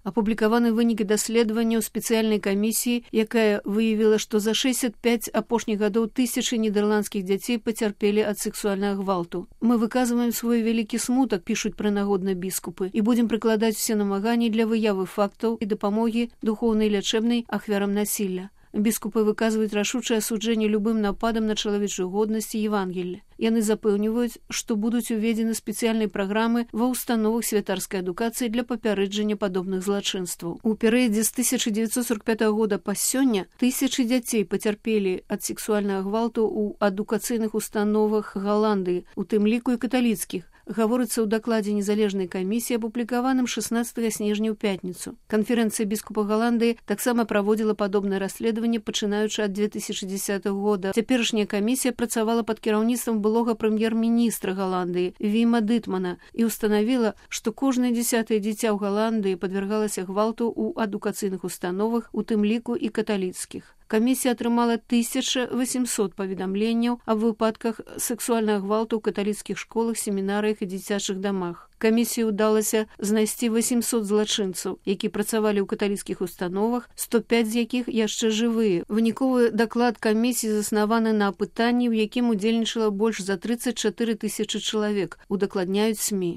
Апублікаваны вынікі даследавання ў спецыяльнай камісіі, якая выявіла, што за 65 апошніх гадоў тысячы нідэрландскіх дзяцей пацярпелі ад сексуальнага гвалту. Мы выказваем свой вялікі смутак, пішуць прынагодна біскупы, і будзем прыкладаць усе намаганні для выявы фактаў і дапамогі духоўнай і лячэбнай ахвярам насілля. Біскупы выказваюць рашучае асуджэнне любым нападам на чалавечую годнасць і Евангелле. Яны запэўніваюць, што будуць уведзены спецыяльнай праграмы ва ўстановах святарскай адукацыі для папярэджання падобных злачынстваў. У перыядзе з 1945 года па сёння тысячы дзяцей пацярпелі ад сексуальнага гвалту ў адукацыйных установах Галандыі, у тым ліку і каталіцкіх, гаворыцца ў дакладзе незалежнай камісіі, апублікаваным 16 снежня ў пятніцу. Канферэнцыя біскупа Галандыі таксама праводзіла падобнае расследаванне, пачынаючы ад 2010 года. Цяперашняя камісія працавала пад кіраўніцтвам былога прэм'ер-міністра Галандыі Віма Дытмана і ўстанавіла, што кожнае 10-е дзіця ў Галандыі падвяргалася гвалту ў адукацыйных установах, у тым ліку і каталіцкіх. Камісія атрымала 1800 паведамленняў аб выпадках сексуальнага гвалту ў каталіцкіх школах, семінарыях і дзіцячых дамах. Камісіі ўдалася знайсці 800 злачынцаў, які працавалі ў каталіцкіх установах, 105 з якіх яшчэ жывыя. Выніковы даклад камісіі заснаваны на апытанні, у якім удзельнічала больш за 34 тысячы чалавек, удакладняюць СМІ.